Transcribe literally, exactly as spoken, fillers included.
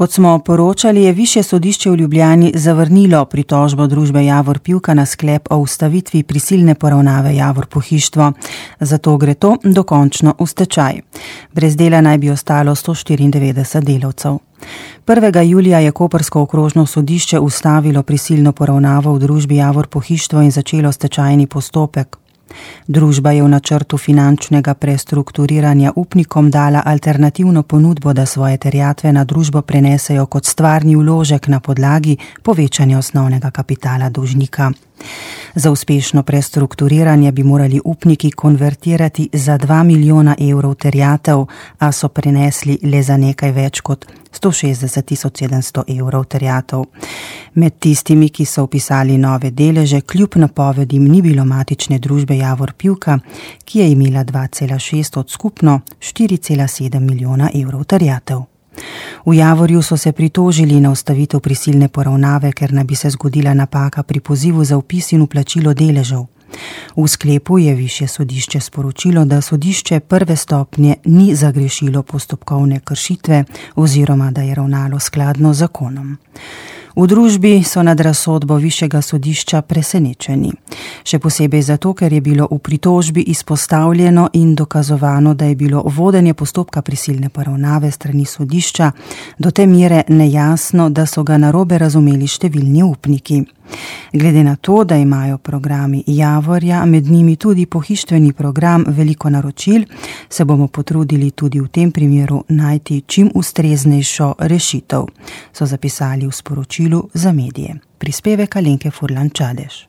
Kot smo poročali, je Višje sodišče v Ljubljani zavrnilo pritožbo družbe Javor Pivka na sklep o ustavitvi prisilne poravnave Javor Pohištvo. Zato gre to dokončno v stečaj. Brez dela naj bi ostalo sto štiriindevetdeset delavcev. prvega julija je koprsko okrožno sodišče ustavilo prisilno poravnavo v družbi Javor Pohištvo in začelo stečajni postopek. Družba je v načrtu finančnega prestrukturiranja upnikom dala alternativno ponudbo, da svoje terjatve na družbo prenesejo kot stvarni vložek na podlagi povečanja osnovnega kapitala dolžnika. Za uspešno prestrukturiranje bi morali upniki konvertirati za dva milijona evrov terjatev, a so prenesli le za nekaj več kot sto šestdeset tisoč sedemsto evrov terjatev. Med tistimi, ki so vpisali nove deleže, kljub napovedim ni bilo matične družbe Javor Pivka, ki je imela dva cela šest od skupno štiri cela sedem milijona evrov terjatev. V Javorju so se pritožili na ustavitev prisilne poravnave, ker naj bi se zgodila napaka pri pozivu za vpis in vplačilo deležev. V sklepu je Višje sodišče sporočilo, da sodišče prve stopnje ni zagrešilo postopkovne kršitve oziroma da je ravnalo skladno z zakonom. V družbi so nad razsodbo Višjega sodišča presenečeni. Še posebej zato, ker je bilo v pritožbi izpostavljeno in dokazovano, da je bilo vodenje postopka prisilne poravnave strani sodišča do te mere nejasno, da so ga narobe razumeli številni upniki. Glede na to, da imajo programi Javorja, med njimi tudi pohištveni program, veliko naročil, se bomo potrudili tudi v tem primeru najti čim ustreznejšo rešitev, so zapisali v sporočilu za medije. Prispevek Alenke Furlan Čadež.